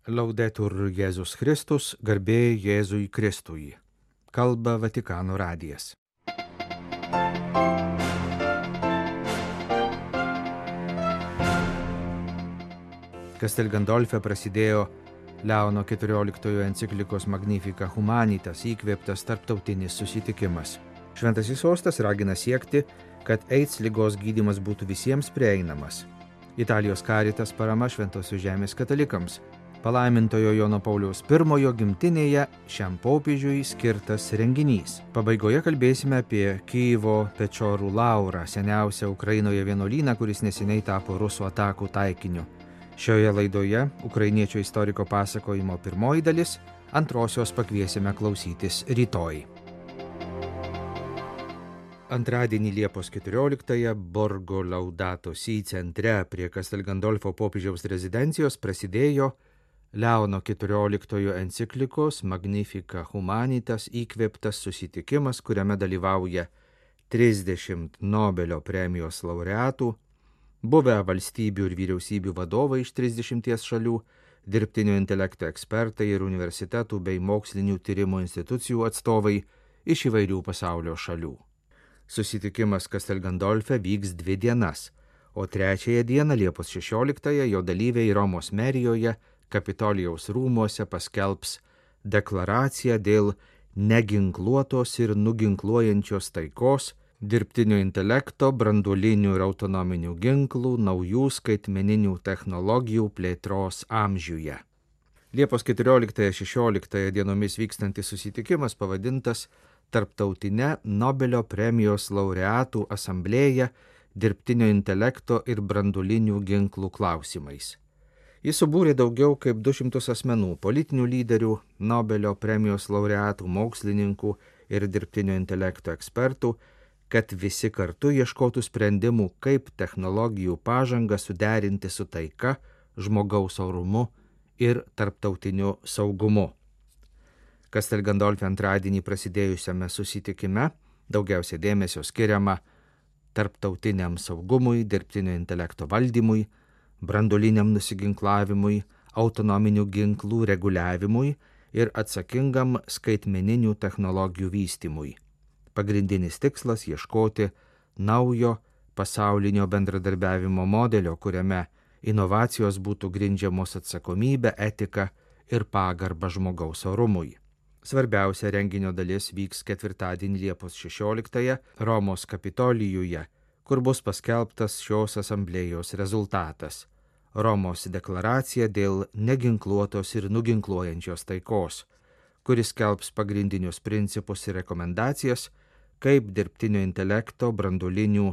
Laudetur Jėzus Kristus, garbė Jėzui Kristui. Kalba Vatikano radijas. Castel Gandolfe prasidėjo Leono XIV enciklikos Magnificat Humanitas įkvėptas tarptautinis susitikimas. Šventasis sostas ragina siekti, kad AIDS ligos gydymas būtų visiems prieinamas. Italijos Caritas parama Šventosios žemės katalikams. Palaimintojo Jono Pauliaus I gimtinėje šiam popiežiui skirtas renginys. Pabaigoje kalbėsime apie Kyjivo Pečorų Laurą, seniausią Ukrainoje vienuolyną, kuris neseniai tapo rusų atakų taikiniu. Šioje laidoje ukrainiečio istoriko pasakojimo pirmoji dalis, antrosios pakviesime klausytis rytoj. Antradienį Liepos 14-ąją Borgo Laudato Si centre prie Castel Gandolfo popiežiaus rezidencijos prasidėjo Leono XIV enciklikos Magnificat Humanitas įkvėptas susitikimas, kuriame dalyvauja 30 Nobelio premijos laureatų, buvę valstybių ir vyriausybių vadovai iš 30 šalių, dirbtinio intelekto ekspertai ir universitetų bei mokslinių tyrimų institucijų atstovai iš įvairių pasaulio šalių. Susitikimas Castel Gandolfe vyks 2 dienas, o 3 dieną Liepos 16-ąją jo dalyviai Romos merijoje Kapitolijaus rūmuose paskelbs deklaraciją dėl neginkluotos ir nuginkluojančios taikos, dirbtinio intelekto, branduolinių ir autonominių ginklų, naujų skaitmeninių technologijų plėtros amžiuje. Liepos 14-16 dienomis vykstantis susitikimas pavadintas Tarptautinė Nobelio premijos laureatų asamblėja dirbtinio intelekto ir branduolinių ginklų klausimais. Jis subūrė daugiau kaip 200 asmenų, politinių lyderių, Nobelio premijos laureatų, mokslininkų ir dirbtinio intelekto ekspertų, kad visi kartu ieškotų sprendimų, kaip technologijų pažangą suderinti su taika, žmogaus orumu ir tarptautiniu saugumu. Castel Gandolfe antradienį prasidėjusiame susitikime daugiausia dėmesio skiriama tarptautiniam saugumui, dirbtinio intelekto valdymui, branduoliniam nusiginklavimui, autonominių ginklų reguliavimui ir atsakingam skaitmeninių technologijų vystymui. Pagrindinis tikslas ieškoti naujo pasaulinio bendradarbiavimo modelio, kuriame inovacijos būtų grindžiamos atsakomybė, etika ir pagarba žmogaus orumui. Svarbiausia renginio dalis vyks ketvirtadienį Liepos 16-ąją Romos Kapitolijuje, kur bus paskelbtas šios asamblėjos rezultatas – Romos deklaracija dėl neginkluotos ir nuginkluojančios taikos, kuris skelbs pagrindinius principus ir rekomendacijas, kaip dirbtinio intelekto, branduolinių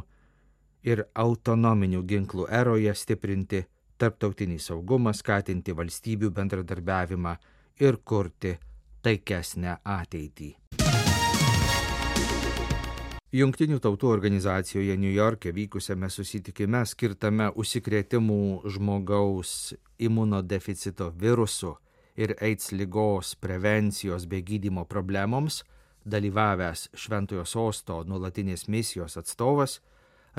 ir autonominių ginklų eroje stiprinti tarptautinį saugumą, skatinti valstybių bendradarbiavimą ir kurti taikesnę ateitį. Jungtinių tautų organizacijoje Niujorke vykusiame susitikime skirtame užsikrėtimų žmogaus imunodeficito virusu ir AIDS ligos prevencijos bei gydymo problemoms dalyvavęs Šventojo sosto nuolatinės misijos atstovas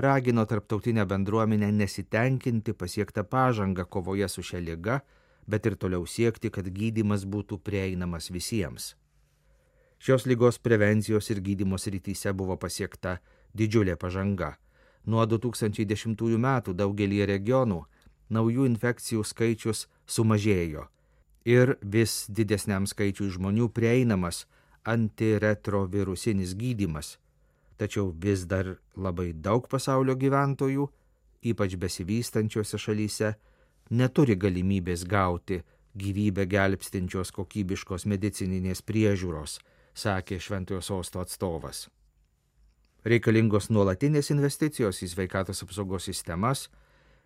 ragino tarptautinę bendruomenę nesitenkinti pasiektą pažangą kovoje su šia liga, bet ir toliau siekti, kad gydymas būtų prieinamas visiems. Šios ligos prevencijos ir gydymo srityse buvo pasiekta didžiulė pažanga. Nuo 2010 metų daugelį regionų naujų infekcijų skaičius sumažėjo ir vis didesniam skaičiui žmonių prieinamas antiretrovirusinis gydymas. Tačiau vis dar labai daug pasaulio gyventojų, ypač besivystančiose šalyse, neturi galimybės gauti gyvybę gelbstinčios kokybiškos medicininės priežiūros, sakė Šventojo sosto atstovas. Reikalingos nuolatinės investicijos į sveikatos apsaugos sistemas,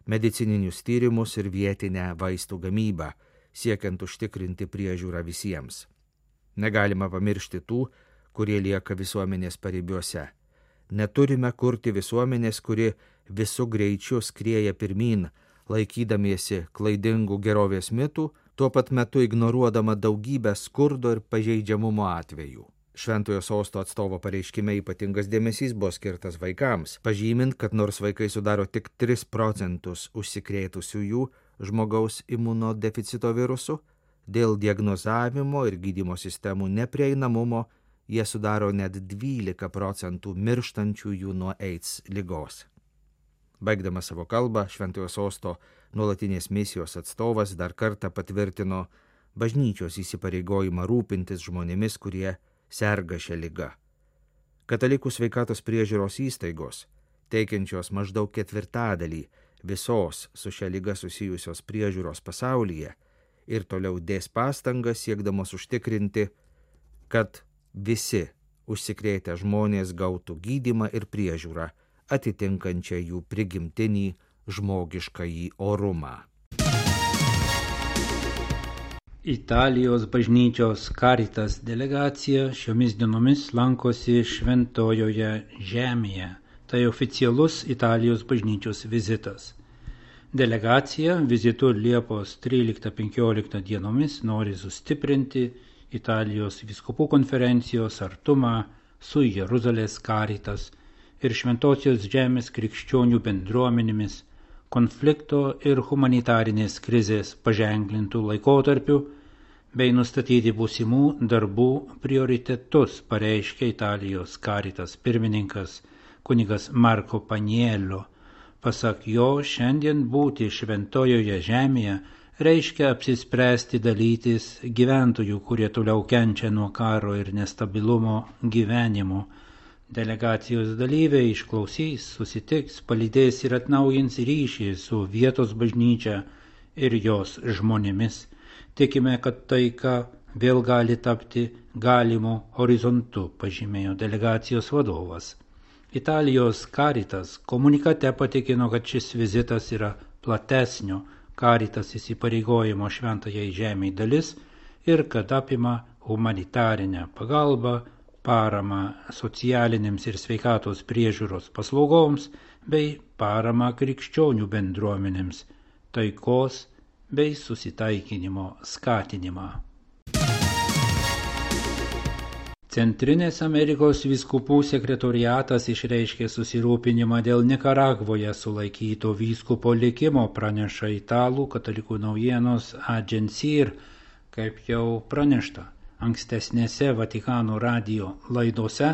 medicininius tyrimus ir vietinę vaistų gamybą, siekiant užtikrinti priežiūrą visiems. Negalima pamiršti tų, kurie lieka visuomenės paribiuose. Neturime kurti visuomenės, kuri visų greičių skrieja pirmyn, laikydamiesi klaidingų gerovės mitų, tuo pat metu ignoruodama daugybę skurdo ir pažeidžiamumo atvejų. Šventojo sosto atstovo pareiškime ypatingas dėmesys buvo skirtas vaikams, pažymint, kad nors vaikai sudaro tik 3% užsikrėtusiųjų žmogaus imunodeficito virusu, Dėl diagnozavimo ir gydymo sistemų neprieinamumo jie sudaro net 12% mirštančiųjų nuo AIDS ligos. Baigdamas savo kalbą, Šventojo Sosto nuolatinės misijos atstovas dar kartą patvirtino bažnyčios įsipareigojimą rūpintis žmonėmis, kurie serga šią ligą. Katalikų sveikatos priežiūros įstaigos, teikiančios maždaug 1/4 visos su šia liga susijusios priežiūros pasaulyje, ir toliau dės pastangas siekdamos užtikrinti, kad visi užsikrėtę žmonės gautų gydymą ir priežiūrą, atitinkančią jų prigimtinį žmogiškąjį orumą. Italijos bažnyčios Caritas delegacija šiomis dienomis lankosi Šventojoje Žemėje. Tai oficialus Italijos bažnyčios vizitas. Delegacija vizitu Liepos 13-15 dienomis nori sustiprinti Italijos vyskupų konferencijos artumą su Jeruzalės Caritas ir Šventosios Žemės krikščionių bendruomenėmis konflikto ir humanitarinės krizės paženklintų laikotarpių bei nustatyti būsimų darbų prioritetus, pareiškė Italijos Caritas pirmininkas kunigas Marko Paniello. Pasak jo, šiandien būti Šventojoje Žemėje reiškia apsispręsti dalytis gyventojų, kurie toliau kenčia nuo karo ir nestabilumo gyvenimo. Delegacijos dalyviai išklausys, susitiks, palydės ir atnaujins ryšį su vietos bažnyčia ir jos žmonėmis. Tikime, kad taika vėl gali tapti galimu horizontu, pažymėjo delegacijos vadovas. Italijos Caritas komunikate patikino, kad šis vizitas yra platesnio Caritas įsipareigojimo Šventajai Žemei dalis ir kad apima humanitarinę pagalbą, paramą socialinėms ir sveikatos priežiūros paslaugoms bei paramą krikščionių bendruomenėms, taikos bei susitaikinimo skatinimą. Centrinės Amerikos vyskupų sekretoriatas išreiškė susirūpinimą dėl Nikaragvoje sulaikyto vyskupo likimo, praneša italų katalikų naujienos Agencir, kaip jau pranešta ankstesnėse Vatikano radijo laidose.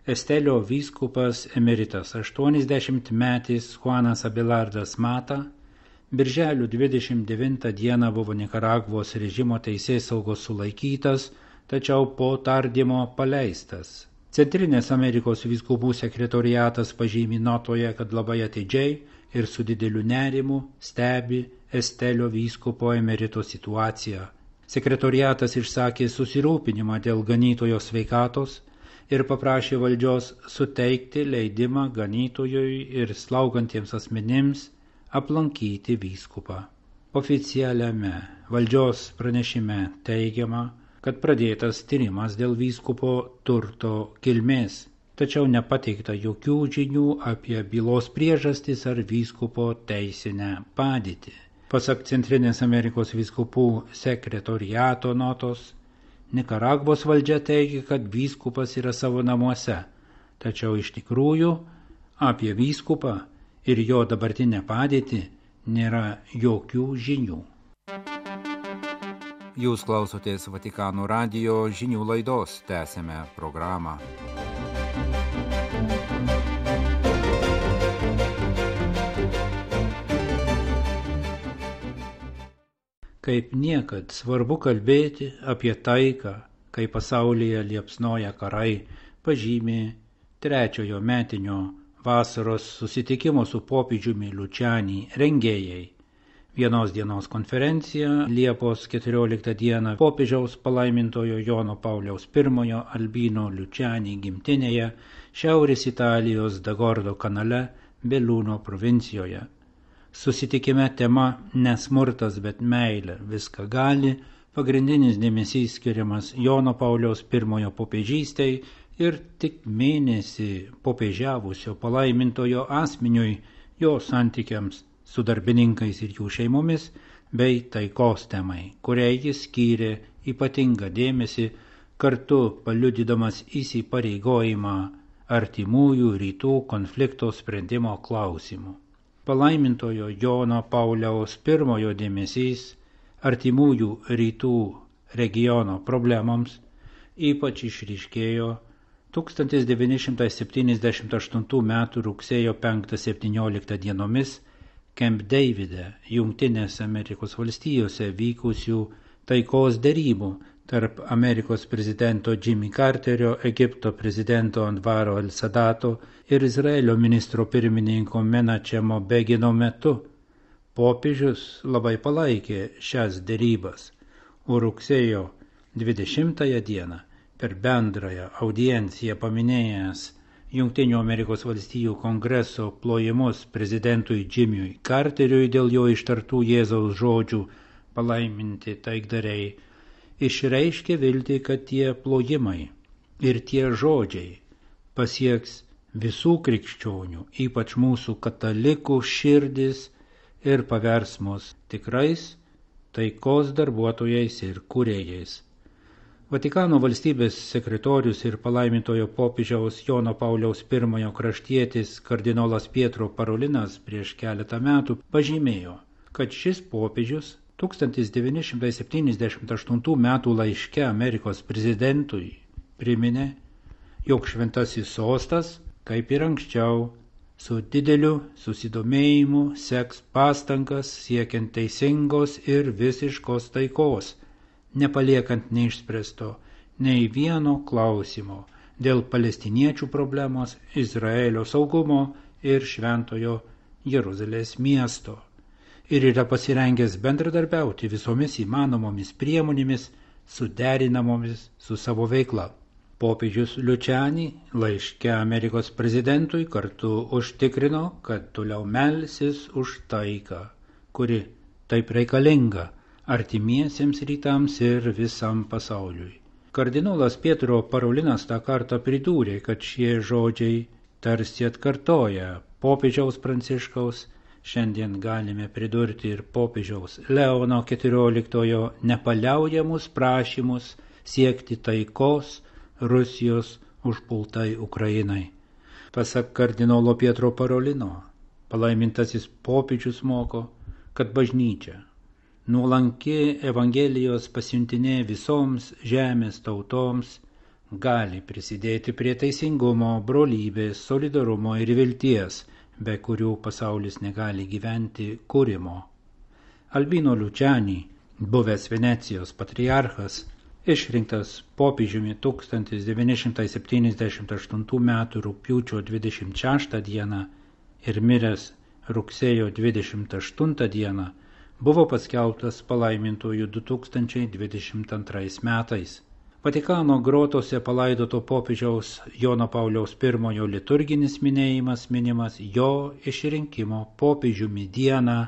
Estelio vyskupas emeritas 80-metis Juanas Abelardas Mata birželio 29 dieną buvo Nikaragvos režimo teisėsaugos sulaikytas, tačiau po tardymo paleistas. Centrinės Amerikos vyskupų sekretoriatas pažymi notoje, kad labai atidžiai ir su dideliu nerimu stebi Estelio vyskupo emerito situaciją. Sekretoriatas išsakė susirūpinimą dėl ganytojo sveikatos ir paprašė valdžios suteikti leidimą ganytojui ir slaugantiems asmenims aplankyti vyskupą. Oficialiame valdžios pranešime teigiama, kad pradėtas tyrimas dėl vyskupo turto kilmės, tačiau nepateikta jokių žinių apie bylos priežastis ar vyskupo teisinę padėtį. Pasak Centrinės Amerikos vyskupų sekretoriato notos, Nikaragvos valdžia teigia, kad vyskupas yra savo namuose, tačiau iš tikrųjų apie vyskupą ir jo dabartinę padėtį nėra jokių žinių. Jūs klausotės Vatikano radijo žinių laidos, tęsėme programą. Kaip niekad svarbu kalbėti apie taiką, kai pasaulyje liepsnoja karai, pažymė 3 metinio vasaros susitikimo su popiežiumi Lučianį rengėjai. Vienos dienos konferencija Liepos 14 dieną popiežiaus palaimintojo Jono Pauliaus I Albino Lučianį gimtinėje Šiaurės Italijos Dagordo kanale Belluno provincijoje. Susitikime tema nesmurtas, bet meilė viską gali, pagrindinis dėmesys skiriamas Jono Pauliaus I popiežystei ir tik mėnesį popiežiavusio palaimintojo asmeniui, jo santykiams su darbininkais ir jų šeimomis, bei taikos temai, kuriai jis skyrė ypatingą dėmesį, kartu paliudydamas įsipareigojimą artimųjų rytų konflikto sprendimo klausimų. Palaimintojo Jono Pauliaus I dėmesys artimųjų rytų regiono problemoms ypač išryškėjo 1978 m. rugsėjo 5-17 dienomis Camp Davide, Jungtinėse Amerikos valstijose vykusių taikos derybų tarp Amerikos prezidento Jimmy Carterio, Egipto prezidento Anvaro el-Sadato ir Izraelio ministro pirmininko Menachemo Begino metu. Popiežius labai palaikė šias derybas, o rugsėjo 20 dieną per bendrąją audienciją paminėjęs Jungtinių Amerikos valstijų kongreso plojimus prezidentui Jimmy'ui Carteriui dėl jo ištartų Jėzaus žodžių palaiminti taikdariai, išreiškė viltį, kad tie plojimai ir tie žodžiai pasieks visų krikščionių, ypač mūsų katalikų širdis ir pavers mus tikrais taikos darbuotojais ir kūrėjais. Vatikano valstybės sekretorius ir palaimintojo popiežiaus Jono Pauliaus I kraštietis kardinolas Pietro Parolinas prieš keletą metų pažymėjo, kad šis popiežius 1978 m. laiške Amerikos prezidentui priminė, jog šventasis sostas, kaip ir anksčiau, su dideliu susidomėjimu seks pastangas siekiant teisingos ir visiškos taikos, nepaliekant neišspręsto nei vieno klausimo dėl palestiniečių problemos, Izraelio saugumo ir šventojo Jeruzalės miesto. Ir yra pasirengęs bendradarbiauti visomis įmanomomis priemonėmis, suderinamomis su savo veikla. Popiežius Lučiani laiške Amerikos prezidentui kartu užtikrino, kad toliau melsis už taiką, kuri taip reikalinga artimiesiems rytams ir visam pasauliui. Kardinolas Pietro Parolinas tą kartą pridūrė, kad šie žodžiai tarsi atkartoja popiežiaus Pranciškaus, šiandien galime pridurti ir popiežiaus Leono XIV nepaliaujamus prašymus siekti taikos Rusijos užpultai Ukrainai. Pasak kardinolo Pietro Parolino, palaimintasis popiežius moko, kad bažnyčia, nuolanki Evangelijos pasiuntinė visoms žemės tautoms, gali prisidėti prie teisingumo, brolybės, solidarumo ir vilties, be kurių pasaulis negali gyventi, kūrimo. Albino Lučiani, buvęs Venecijos patriarchas, išrinktas popiežiumi 1978 m. rugpjūčio 26 d. ir miręs rugsėjo 28 d. buvo paskelbtas palaimintuoju 2022 metais. Vatikano grotose palaidoto popiežiaus Jono Pauliaus I liturginis minėjimas minimas jo išrinkimo popiežiumi dieną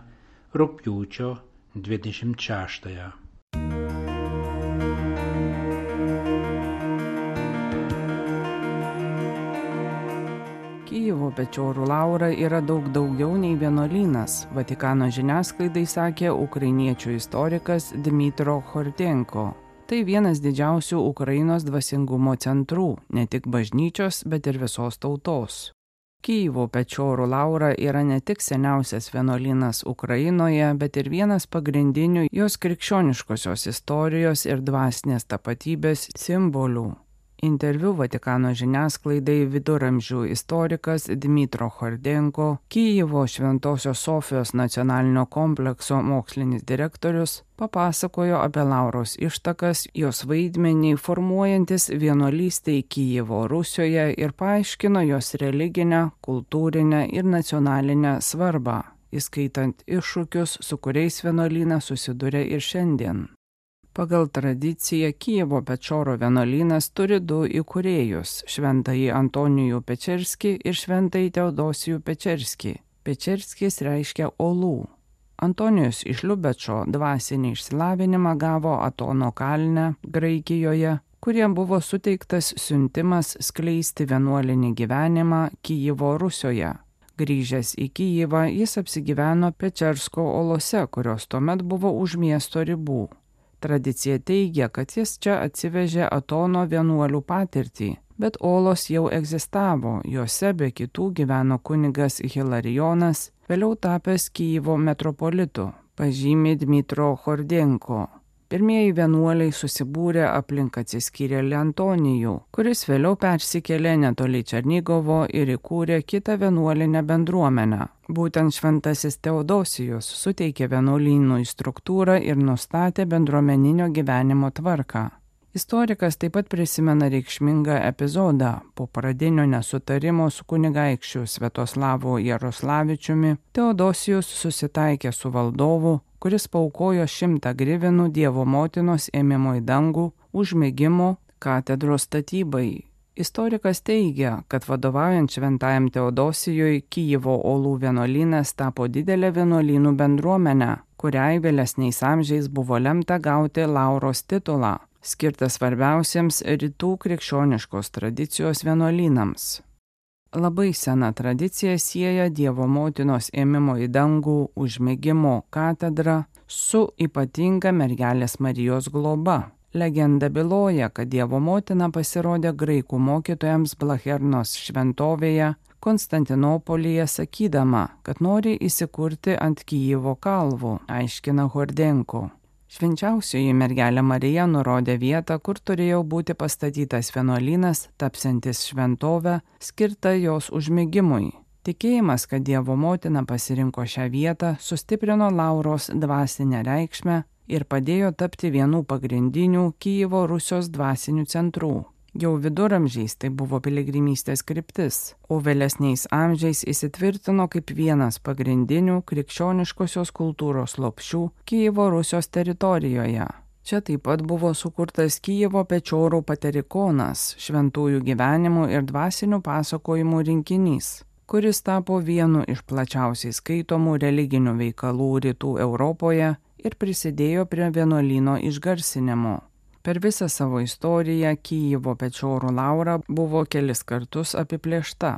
rugpjūčio 26. Kijevo Pečorų Laura yra daug daugiau nei vienuolynas, Vatikano žiniasklaidai sakė ukrainiečių istorikas Dmytro Hortenko. Tai vienas didžiausių Ukrainos dvasingumo centrų, ne tik bažnyčios, bet ir visos tautos. Kijevo Pečorų Laura yra ne tik seniausias vienuolynas Ukrainoje, bet ir vienas pagrindinių jos krikščioniškosios istorijos ir dvasinės tapatybės simbolių. Interviu Vatikano žiniasklaidai viduramžių istorikas Dmytro Hortenko, Kijevo Šventosios Sofijos nacionalinio komplekso mokslinis direktorius, papasakojo apie Lauros ištakas, jos vaidmenį formuojantis vienuolystei Kijevo Rusijoje ir paaiškino jos religinę, kultūrinę ir nacionalinę svarbą, įskaitant iššūkius, su kuriais vienuolynas susiduria ir šiandien. Pagal tradiciją Kijevo Pečoro vienuolynas turi du įkūrėjus – šventąjį Antonijų Pečerskį ir šventąjį Teodosijų Pečerskį. Pečerskis reiškia olų. Antonijus iš Liubečo dvasinį išsilavinimą gavo Atono kalne, Graikijoje, kuriem buvo suteiktas siuntimas skleisti vienuolinį gyvenimą Kijevo Rusijoje. Grįžęs į Kijevą, jis apsigyveno Pečersko olose, kurios tuomet buvo už miesto ribų. Tradicija teigia, kad jis čia atsivežė Atono vienuolių patirtį, bet olos jau egzistavo, juose be kitų gyveno kunigas Hilarijonas, vėliau tapęs Kijevo metropolitu, pažymi Dmitro Chordenko. Pirmieji vienuoliai susibūrė aplink atsiskyrėlį Antonijų, kuris vėliau persikėlė netoli Černigovo ir įkūrė kitą vienuolinę bendruomenę. Būtent šventasis Teodosijus suteikė vienuolynui struktūrą ir nustatė bendruomeninio gyvenimo tvarką. Istorikas taip pat prisimena reikšmingą epizodą. Po pradinio nesutarimo su kunigaikščiu Sviatoslavu Jaroslavičiumi Teodosijus susitaikė su valdovu, kuris paaukojo 100 grivinų Dievo motinos ėmimo į dangų užmėgimo katedros statybai. Istorikas teigia, kad vadovaujant šventajam Teodosijui Kijevo Olų vienuolynas tapo didelę vienuolynų bendruomenę, kuriai vėlesniais amžiais buvo lemta gauti Lauros titulą, skirtas svarbiausiems rytų krikščioniškos tradicijos vienuolynams. Labai sena tradicija sieja Dievo motinos ėmimo į dangų užmėgimo katedrą su ypatinga mergelės Marijos globa. Legenda byloja, kad Dievo motina pasirodė graikų mokytojams Blachernos šventovėje Konstantinopolyje sakydama, kad nori įsikurti ant Kijevo kalvų, aiškina Chordenko. Švenčiausioji mergelė Marija nurodė vietą, kur turėjo būti pastatytas vienuolynas, tapsiantis šventovę, skirta jos užmėgimui. Tikėjimas, kad Dievo motina pasirinko šią vietą, sustiprino Lauros dvasinę reikšmę ir padėjo tapti vienu pagrindinių Kijevo Rusios dvasinių centrų. Jau viduramžiais tai buvo piligrimystės kryptis, o vėlesniais amžiais įsitvirtino kaip vienas pagrindinių krikščioniškosios kultūros lopšių Kijevo Rusios teritorijoje. Čia taip pat buvo sukurtas Kijevo Pečorų paterikonas, šventųjų gyvenimų ir dvasinių pasakojimų rinkinys, kuris tapo vienu iš plačiausiai skaitomų religinių veikalų rytų Europoje ir prisidėjo prie vienuolyno išgarsinimo. Per visą savo istoriją Kijevo Pečorų Laura buvo kelis kartus apiplėšta.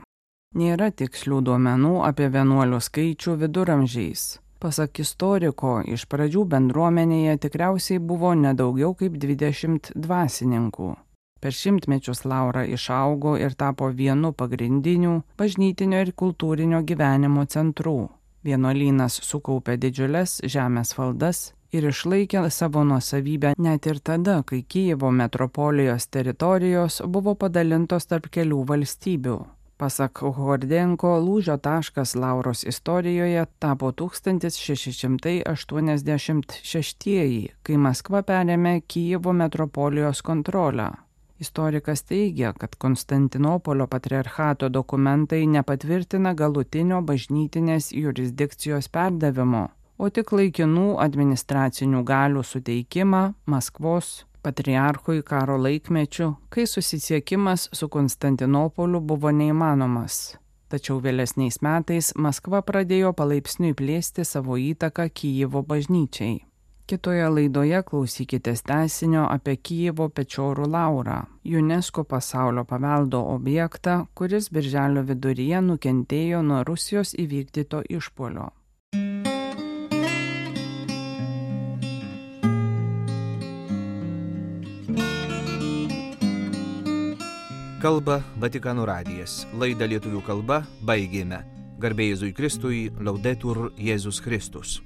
Nėra tikslių duomenų apie vienuolių skaičių viduramžiais. Pasak istoriko, iš pradžių bendruomenėje tikriausiai buvo nedaugiau kaip 20 dvasininkų. Per šimtmečius Laura išaugo ir tapo vienu pagrindinių bažnytinio ir kultūrinio gyvenimo centrų. Vienuolynas sukaupė didžiules žemės valdas ir išlaikė savo nuosavybę net ir tada, kai Kijevo metropolijos teritorijos buvo padalintos tarp kelių valstybių. Pasak Chordenko, lūžio taškas Lauros istorijoje tapo 1686, kai Maskva perėmė Kijevo metropolijos kontrolę. Istorikas teigia, kad Konstantinopolio patriarchato dokumentai nepatvirtina galutinio bažnytinės jurisdikcijos perdavimo, o tik laikinų administracinių galių suteikimą Maskvos patriarchui karo laikmečiu, kai susisiekimas su Konstantinopoliu buvo neįmanomas. Tačiau vėlesniais metais Maskva pradėjo palaipsniui plėsti savo įtaką Kijevo bažnyčiai. Kitoje laidoje klausykitės tęsinio apie Kijevo Pečorų Laurą, UNESCO pasaulio paveldo objektą, kuris birželio viduryje nukentėjo nuo Rusijos įvykdyto išpuolio. Kalba Vatikano radijas. Laidą lietuvių kalba baigėme. Garbė Jėzui Kristui, Laudetur Jėzus Kristus.